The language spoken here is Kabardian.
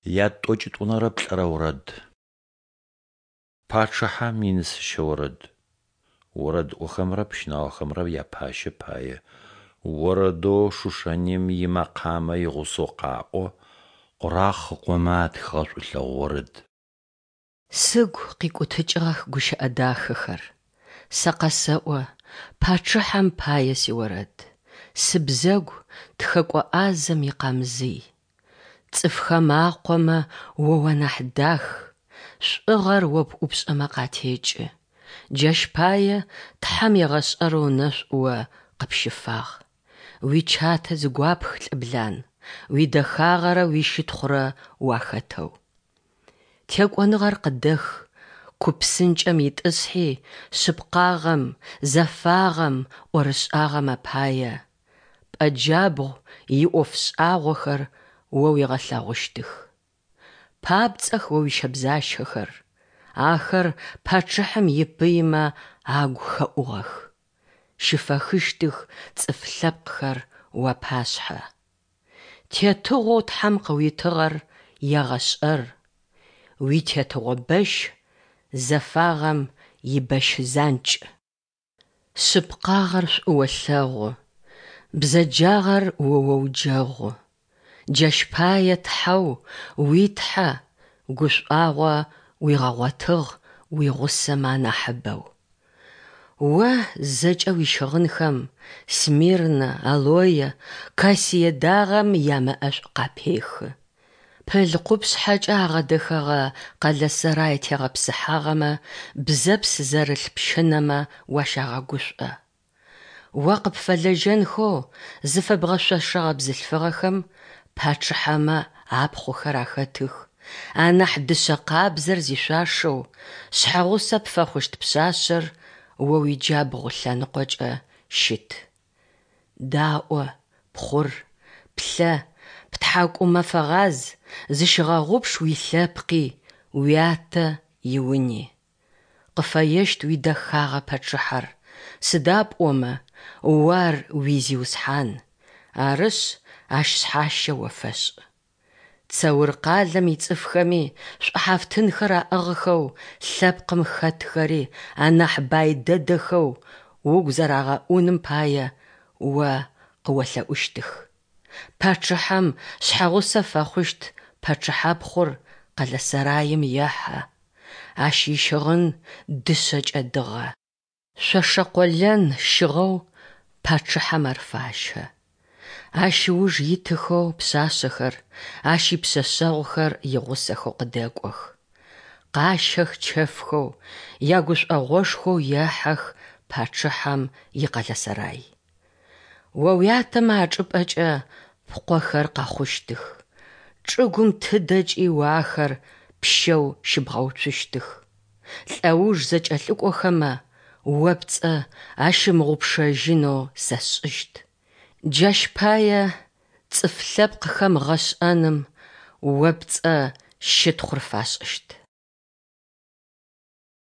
Ятӏокӏитӏунэрэ плӏырэ орэд. Пачъыхьэм инысэщэ орэд. Орэдыӏохэмрэ пщынаохэмрэ япащэ пае. Орэдэу Шушаним имэкъамэ игъусэу къаӏо, Къурахъ ыкъомэ атхыгъэ шӏулъэгъу орэд. Сыгу къикӏутыкӏыгъэх гущыӏэ дахэхэр, Сэ къэсэӏо пачъыхьэм пае сиорэд, Сыбзэгу тхэкӏо ӏазэм икъамзый. Цӏыфхэм акъомэ о уанахь дах, Шӏугъэр о пӏупшӏэмэ къатекӏы. Джащ пае Тхьэм егъэшӏэрэу ынэшӏу о къыпщыфагъ. Уичатэ зыгуапх, лӏыблан, Уидэхагъэрэ уищытхъурэ уахэтэу. Текӏоныгъэр къыдэх, ку псынкӏэм итӏысхьи, шъыпкъагъэм, зэфагъэм, ӏорышӏагъэм апае Пӏэ джабгъу иӏоф шӏагъохэр о уигъэлъэгъущтых. Папцӏэх о уищэбзащэхэр, ахэр пачъыхьэм ипыймэ агу хэӏугъэх. Щыфэхыщтых цӏыф лъэпкъхэр уапашъхьэ. Тетыгъоу Тхьэм къыуитыгъэр егъэшӏэр, уитетыгъо бэщ зэфагъэм ибэщ занкӏ. Шъыпкъагъэр шӏу олъэгъу, бзэджагъэр о оуджэгъу. Джащ пае Тхьэу уи Тхьэ гушӏуагъо уигъэгъотыгъ уигъусэмэ анахьыбэу. О зэкӏэ уищыгъынхэм смирнэ, алое, кассие дагъэм ямэӏэшӏу къапехы. Пыл къупшъхьэкӏэ агъэдэхэгъэ къэлэсэрай тегъэпсыхьагъэмэ бзэпс зэрылъ пщынэмэ уащагъэгушӏо. О къыпфэлэжьэнхэу зыфэбгъэшъошэгъэ бзылъфыгъэхэм пачъыхьэмэ апхъухэр ахэтых, анахь дышъэ къабзэр зишъуашэу, шъхьэгъусэ пфэхъущт пшъашъэр о уиджабгъу лъэныкъокӏэ щыт. Даӏо, пхъур, плъэ, птхьакӏумэ фэгъаз, зыщыгъэгъупш уилъэпкъи, уятэ иуни. Къыфэещт уидэхагъэ пачъыхьэр, сыда пӏомэ о ар уи Зиусхьан, арышъ, ащ шъхьащэ о фэшӏ. Цэур къалэм ицӏыфхэми шӏухьафтынхэр аӏыгъхэу лъэпкъым хэтхэри анахь бай дэдэхэу угу зэрагъэӏуным пае о къыолъэӏущтых. Пачъыхьэм шъхьэгъусэ фэхъущт пачъыхьапхъур къэлэсэраим ехьэ, ащ ищыгъын дышъэкӏэ дыгъэ. Шъошэ къолэн щыгъэу пачъыхьэм ар фащэ. Ащ ыуж итыхэу пшъашъэхэр, ащ ипшъэшъэгъухэр игъусэхэу къыдэкӏох. Къащэх чэфхэу, ягушӏогъошхоу ехьэх пачъыхьэм икъэлэсэрай. О уятэмэ ачӏыпӏэкӏэ пкъохэр къэхъущтых, чӏыгум тыдэкӏи о ахэр пщэу щыбгъэуцущтых. Лӏэуж зэкӏэлъыкӏохэмэ о пцӏэ ащымыгъупшэжьынэу сэ сшӏыщт. Джащ пае цӏыф лъэпкъхэм гъэшӏэным о пцӏэ щытхъур фашӏыщт.